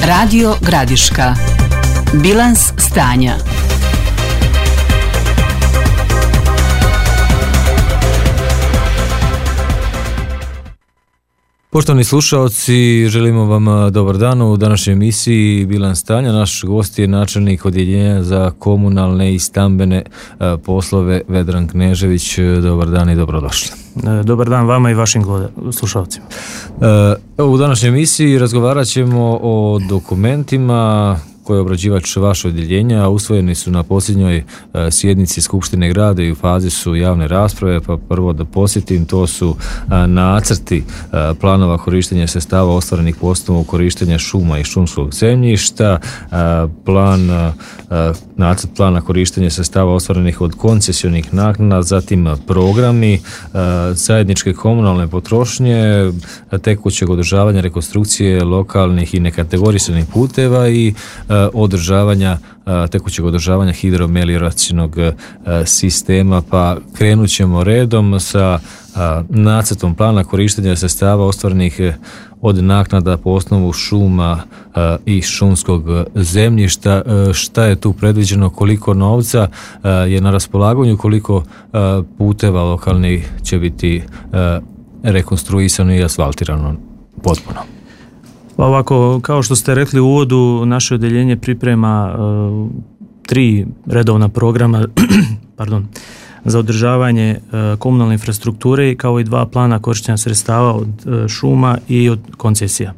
Radio Gradiška. Bilans stanja. Poštovani slušaoci, želimo vam dobar dan u današnjoj emisiji Bilans stanja. Naš gost je načelnik Odjeljenja za komunalne i stambene poslove Vedran Knežević. Dobar dan i dobrodošli. Dobar dan vama i vašim slušalcima. U današnjoj emisiji razgovarat ćemo o dokumentima koje je obrađivač vaše odjeljenja, a usvojeni su na posljednjoj sjednici Skupštine grada i u fazi su javne rasprave, pa prvo da podsjetim, to su nacrti planova korištenja sredstava ostvarenih po osnovu korištenja šuma i šumskog zemljišta, nacrt plana korištenja sredstava ostvarenih od koncesionih naknada, zatim programi zajedničke komunalne potrošnje, tekućeg održavanja, rekonstrukcije lokalnih i nekategorisanih puteva i tekućeg održavanja hidromelioracijnog sistema. Pa krenut ćemo redom sa nacrtom plana korištenja sredstava ostvarenih od naknada po osnovu šuma i šumskog zemljišta. Šta je tu predviđeno, koliko novca je na raspolaganju, koliko puteva lokalnih će biti rekonstruisano i asfaltirano potpuno? Pa ovako, kao što ste rekli u uvodu, naše odjeljenje priprema 3 redovna programa za održavanje komunalne infrastrukture, kao i 2 plana korištenja sredstava od šuma i od koncesija.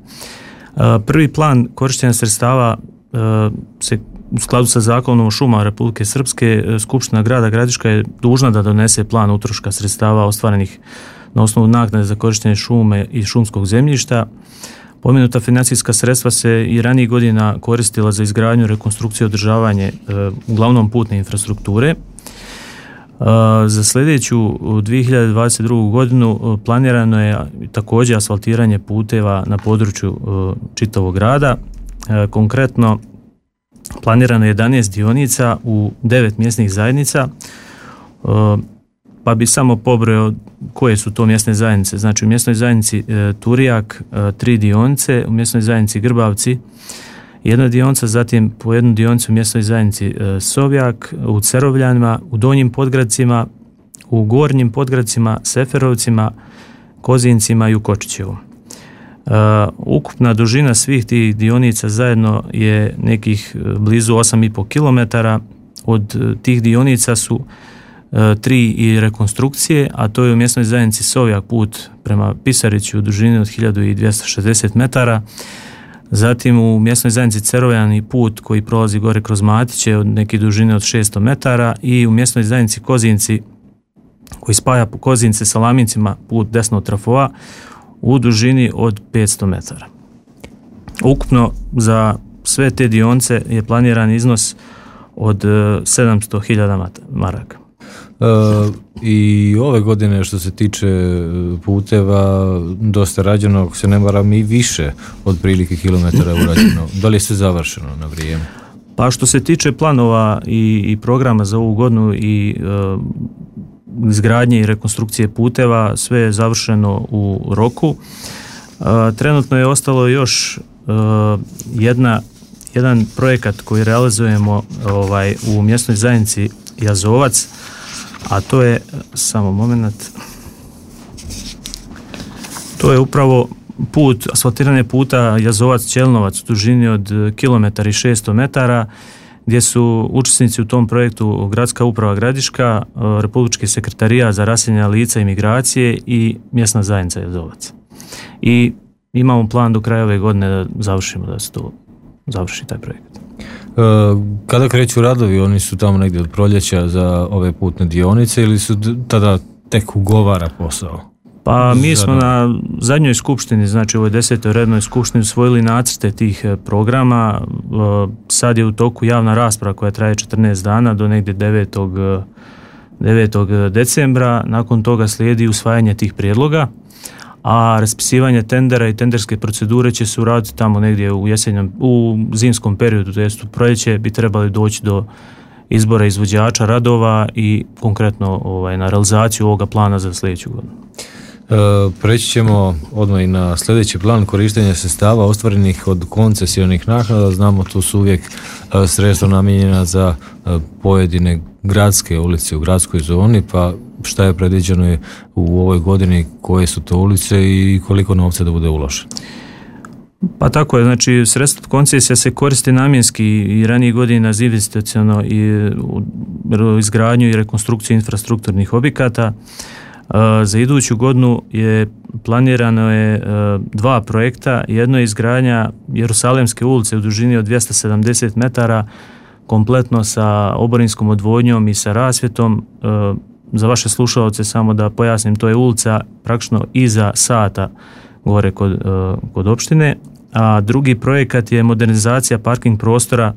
Prvi plan korištenja sredstava se u skladu sa Zakonom o šumama Republike Srpske, Skupština grada Gradiška je dužna da donese plan utroška sredstava ostvarenih na osnovu naknade za korištenje šume i šumskog zemljišta. Pomenuta financijska sredstva se i ranijih godina koristila za izgradnju, rekonstrukciju i održavanje uglavnom putne infrastrukture. Za sljedeću 2022. godinu planirano je također asfaltiranje puteva na području čitavog grada. Konkretno planirano je 11 dionica u 9 mjesnih zajednica, pa bi samo pobrojao koje su to mjesne zajednice. Znači u mjesnoj zajednici Turijak 3 dionice, u mjesnoj zajednici Grbavci 1 dionica, zatim po 1 dionicu u mjesnoj zajednici Sovjak, u Cerovljanima, u Donjim Podgradcima, u Gornjim Podgradcima, Seferovcima, Kozincima i u Kočićevu. Ukupna dužina svih tih dionica zajedno je nekih blizu 8,5 km. Od tih dionica su 3 i rekonstrukcije, a to je u mjesnoj zajednici Sovjak put prema Pisariću u dužini od 1260 metara, zatim u mjesnoj zajednici Cerovljani put koji prolazi gore kroz Matiće od neke dužine od 600 metara i u mjesnoj zajednici Kozinci koji spaja Kozince sa Lamincima put desno od Trafoa u dužini od 500 metara. Ukupno za sve te dionice je planiran iznos od 700.000 maraka. I ove godine što se tiče puteva dosta rađeno, ako se ne varam, i više od prilike kilometara urađeno. Da li je sve završeno na vrijeme? Pa što se tiče planova i programa za ovu godinu i izgradnje i rekonstrukcije puteva, sve je završeno u roku. Trenutno je ostalo još jedan projekat koji realizujemo u mjesnoj zajednici Jazovac, a to je, samo moment, to je upravo asfaltiranje puta Jazovac-Čelnovac u dužini od 1,6 metara, gdje su učesnici u tom projektu Gradska uprava Gradiška, Republički sekretarijat za raseljena lica i migracije i mjesna zajednica Jazovac. I imamo plan do kraja ove godine da se to završi taj projekt. Kada kreću radovi, oni su tamo negdje od proljeća za ove putne dionice ili su tada tek ugovara posao? Pa mi smo na zadnjoj skupštini, znači u ovoj 10. rednoj skupštini usvojili nacrte tih programa. Sad je u toku javna rasprava koja traje 14 dana do negdje 9. decembra. Nakon toga slijedi usvajanje tih prijedloga, a raspisivanje tendera i tenderske procedure će se uraditi tamo negdje u zimskom periodu, to jest u proljeće bi trebali doći do izbora izvođača radova i konkretno na realizaciju ovoga plana za sljedeću godinu. Preći ćemo odmah i na sljedeći plan korištenja sredstava ostvarenih od koncesionih naknada. Znamo, tu su uvijek sredstva namijenjena za pojedine gradske ulice u gradskoj zoni, pa šta je predviđeno u ovoj godini, koje su to ulice i koliko novca da bude uloženo? Pa tako je, znači sredstva koncesija se koristi namjenski i ranije godina za investiciono i izgradnju i rekonstrukciju infrastrukturnih objekata. Za iduću godinu planirano je 2 projekta. Jedno je izgradnja Jerusalemske ulice u dužini od 270 metara, kompletno sa oborinskom odvodnjom i sa rasvjetom. Za vaše slušalce samo da pojasnim, to je ulica praktično iza Sata gore kod opštine. A drugi projekat je modernizacija parking prostora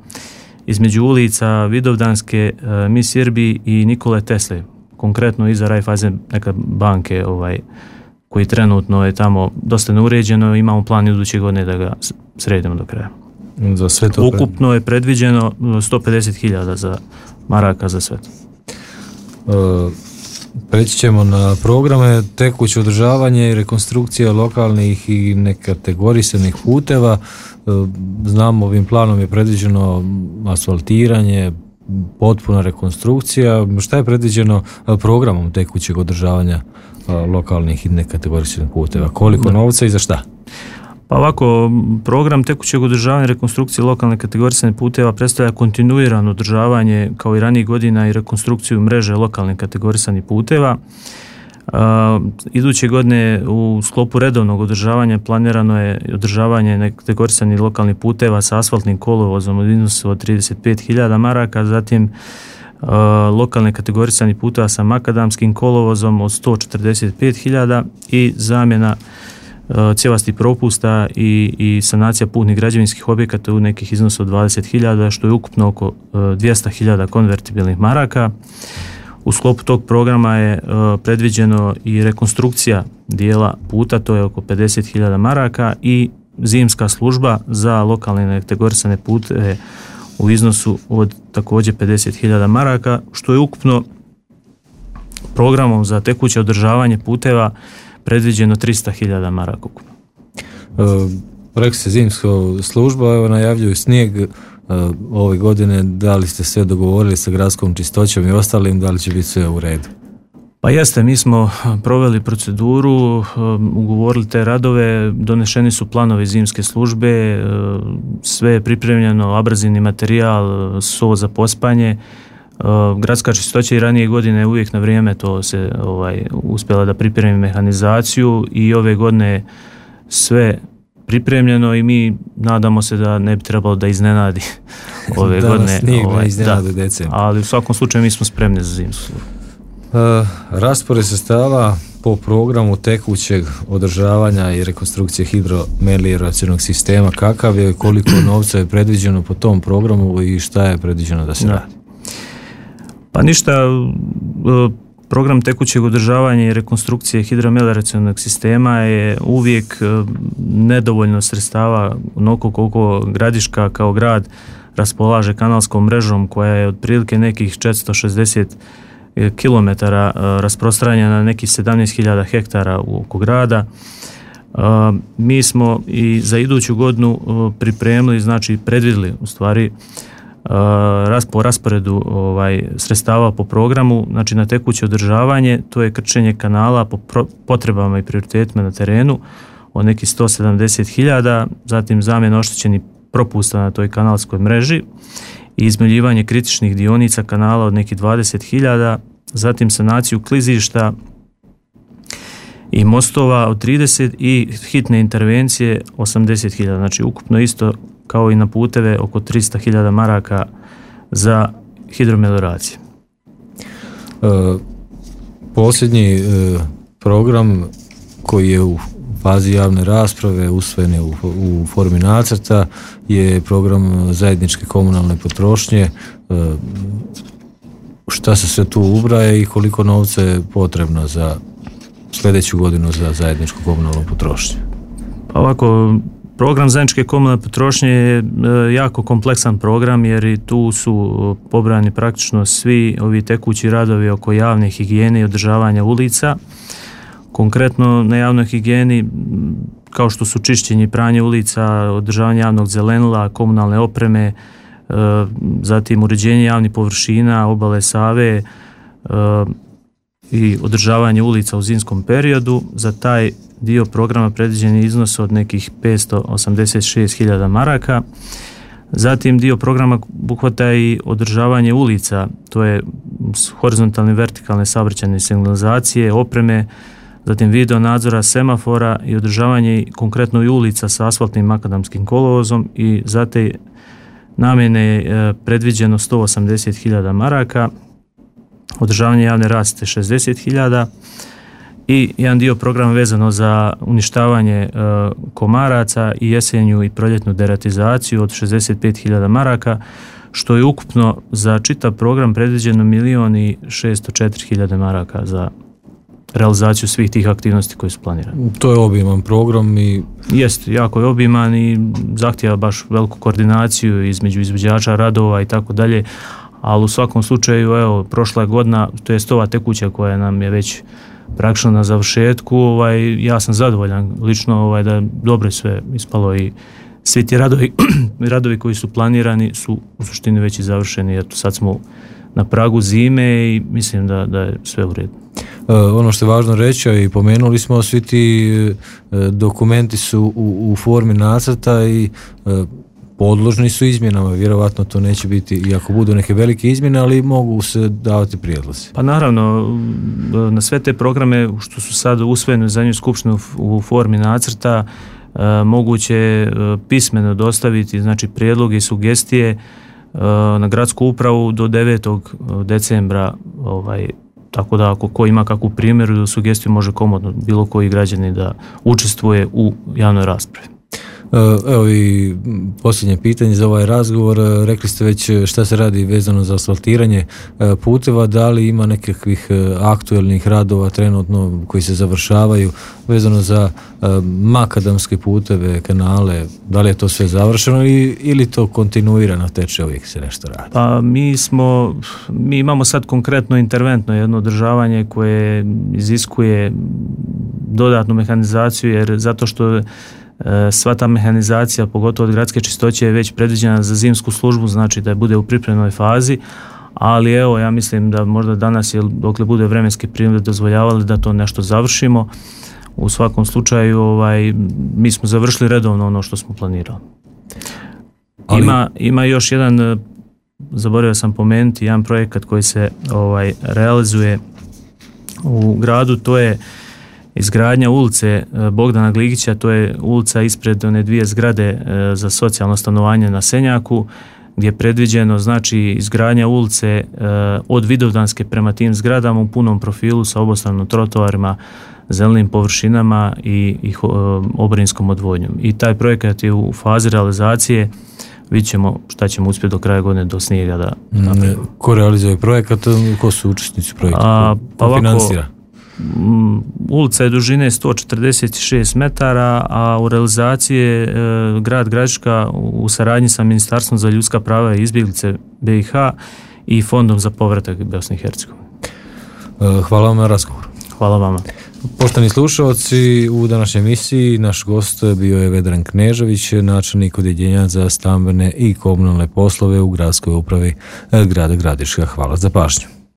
između ulica Vidovdanske, Mis Irbi i Nikole Tesle, konkretno iza Raiffeisen neka banke koji trenutno je tamo dosta neuređeno. Imamo plan iduće godine da ga sredimo do kraja. Za sve to ukupno je predviđeno 150.000 maraka za sve to. Preći ćemo na programe tekuće održavanje i rekonstrukcija lokalnih i nekategorisanih puteva. Znamo, ovim planom je predviđeno asfaltiranje, potpuna rekonstrukcija. Šta je predviđeno programom tekućeg održavanja lokalnih i nekategorisanih puteva? Koliko novca i za šta? Pa ovako, program tekućeg održavanja i rekonstrukcije lokalne kategorisanih puteva predstavlja kontinuirano održavanje kao i ranijih godina i rekonstrukciju mreže lokalnih kategorisanih puteva. Iduće godine u sklopu redovnog održavanja planirano je održavanje kategorisanih lokalnih puteva sa asfaltnim kolovozom od iznosu od 35.000 maraka, zatim lokalne kategorisanih puteva sa makadamskim kolovozom od 145.000 i zamjena cjevastih propusta i sanacija putnih građevinskih objekata u nekih iznosa od 20.000, što je ukupno oko 200.000 konvertibilnih maraka. U sklopu tog programa je predviđeno i rekonstrukcija dijela puta, to je oko 50.000 maraka, i zimska služba za lokalne kategorisane puteve u iznosu od također 50.000 maraka, što je ukupno programom za tekuće održavanje puteva predviđeno 300.000 maraka ukupno. Rekli ste zimska služba, evo najavljuju snijeg ove godine. Da li ste sve dogovorili sa gradskom čistoćom i ostalim, da li će biti sve u redu? Pa jeste, mi smo proveli proceduru, ugovorili te radove, donešeni su planovi zimske službe, sve je pripremljeno, abrazivni materijal, so za pospanje. Gradska čistoća i ranije godine uvijek na vrijeme to se uspjela da pripremi mehanizaciju i ove godine sve pripremljeno i mi nadamo se da ne bi trebalo da iznenadi ove godine. Ali u svakom slučaju mi smo spremni za zimsku službu. Raspored sredstava po programu tekućeg održavanja i rekonstrukcije hidromelioracionog sistema, kakav je, koliko novca je predviđeno po tom programu i šta je predviđeno da se radi? Pa ništa, program tekućeg održavanja i rekonstrukcije hidromelioracionog sistema je uvijek nedovoljno sredstava, onoliko koliko Gradiška kao grad raspolaže kanalskom mrežom koja je otprilike nekih 460 km rasprostranjena na nekih 17.000 hektara oko grada. Mi smo i za iduću godinu pripremili, znači predvidjeli u stvari po rasporedu sredstava po programu, znači na tekuće održavanje, to je krčenje kanala po potrebama i prioritetima na terenu od nekih 170.000, zatim zamjena oštećenih propusta na toj kanalskoj mreži i izmeljivanje kritičnih dionica kanala od nekih 20.000, zatim sanaciju klizišta i mostova od 30 i hitne intervencije 80.000, znači ukupno isto kao i na puteve oko 300.000 maraka za hidromelioracije. Posljednji program koji je u fazi javne rasprave, usvojen je u formi nacrta, je program zajedničke komunalne potrošnje. Šta se sve tu ubraje i koliko novca je potrebno za sljedeću godinu za zajedničku komunalnu potrošnju? Pa ovako, program zajedničke komunalne potrošnje je jako kompleksan program jer i tu su pobrani praktično svi ovi tekući radovi oko javne higijene i održavanja ulica. Konkretno na javnoj higijeni, kao što su čišćenje i pranje ulica, održavanje javnog zelenila, komunalne opreme, zatim uređenje javnih površina, obale Save i održavanje ulica u zimskom periodu. Za taj dio programa predviđen je iznos od nekih 586.000 maraka. Zatim dio programa obuhvata i održavanje ulica, to je horizontalne i vertikalne saobraćajne signalizacije, opreme, zatim video nadzora semafora i održavanje konkretno i ulica sa asfaltnim makadamskim kolovozom i za te namjene je predviđeno 180.000 maraka, održavanje javne rasvjete 60.000 i jedan dio programa vezano za uništavanje komaraca i jesenju i proljetnu deratizaciju od 65.000 maraka, što je ukupno za čitav program predviđeno 1.604.000 maraka za realizaciju svih tih aktivnosti koje su planirane. To je obiman program i... Jest, jako je obiman i zahtijeva baš veliku koordinaciju između izvođača radova i tako dalje, ali u svakom slučaju, evo, prošla je godina, to je ova tekuća koja nam je već praktično na završetku, ja sam zadovoljan lično da dobro je sve ispalo i svi ti radovi koji su planirani su u suštini već i završeni. Eto, sad smo na pragu zime i mislim da je sve u redu. Ono što je važno reći, i pomenuli smo, svi ti dokumenti su u formi nacrta i podložni su izmjenama, vjerovatno to neće biti, iako budu neke velike izmjene, ali mogu se davati prijedlozi. Pa naravno, na sve te programe što su sad usvojeni u zadnjoj skupštini u formi nacrta, moguće pismeno dostaviti, znači prijedloge i sugestije na gradsku upravu do 9. decembra, tako da ako ko ima kakvu primjeru, sugestiju može komodno bilo koji građanin da učestvuje u javnoj raspravi. Evo i posljednje pitanje za ovaj razgovor. Rekli ste već šta se radi vezano za asfaltiranje puteva, da li ima nekakvih aktuelnih radova trenutno koji se završavaju vezano za makadamske puteve, kanale, da li je to sve završeno ili to kontinuirano teče, uvijek se nešto radi? Pa mi imamo sad konkretno interventno jedno održavanje koje iziskuje dodatnu mehanizaciju, jer zato što sva ta mehanizacija, pogotovo od gradske čistoće, je već predviđena za zimsku službu, znači da bude u pripremnoj fazi, ali evo, ja mislim da možda danas, dokle bude vremenske prilike dozvoljavali, da to nešto završimo. U svakom slučaju, mi smo završili redovno ono što smo planirali. Ima još jedan, zaboravio sam pomenuti, jedan projekat koji se realizuje u gradu, to je izgradnja ulice Bogdana Gligića, to je ulica ispred one dvije zgrade za socijalno stanovanje na Senjaku, gdje je predviđeno, znači, izgradnja ulice od Vidovdanske prema tim zgradama u punom profilu sa obostranim trotoarima, zelenim površinama i oborinskom odvodnjom. I taj projekat je u fazi realizacije. Vidjet ćemo šta ćemo uspjeti do kraja godine do snijega da napravimo. Ko realizuje projekat? Ko su učesnici projekta? Ko financira? Ulica je dužine 146 metara, a u realizaciji je grad Gradiška u saradnji sa Ministarstvom za ljudska prava i izbjeglice BiH i Fondom za povratak Bosne i Hercegovine. Hvala vam na razgovor. Hvala vama. Poštovani slušalci, u današnjoj emisiji naš gost bio je Vedran Knežević, načelnik odjeljenja za stambene i komunalne poslove u gradskoj upravi grada Gradiška. Hvala za pažnju.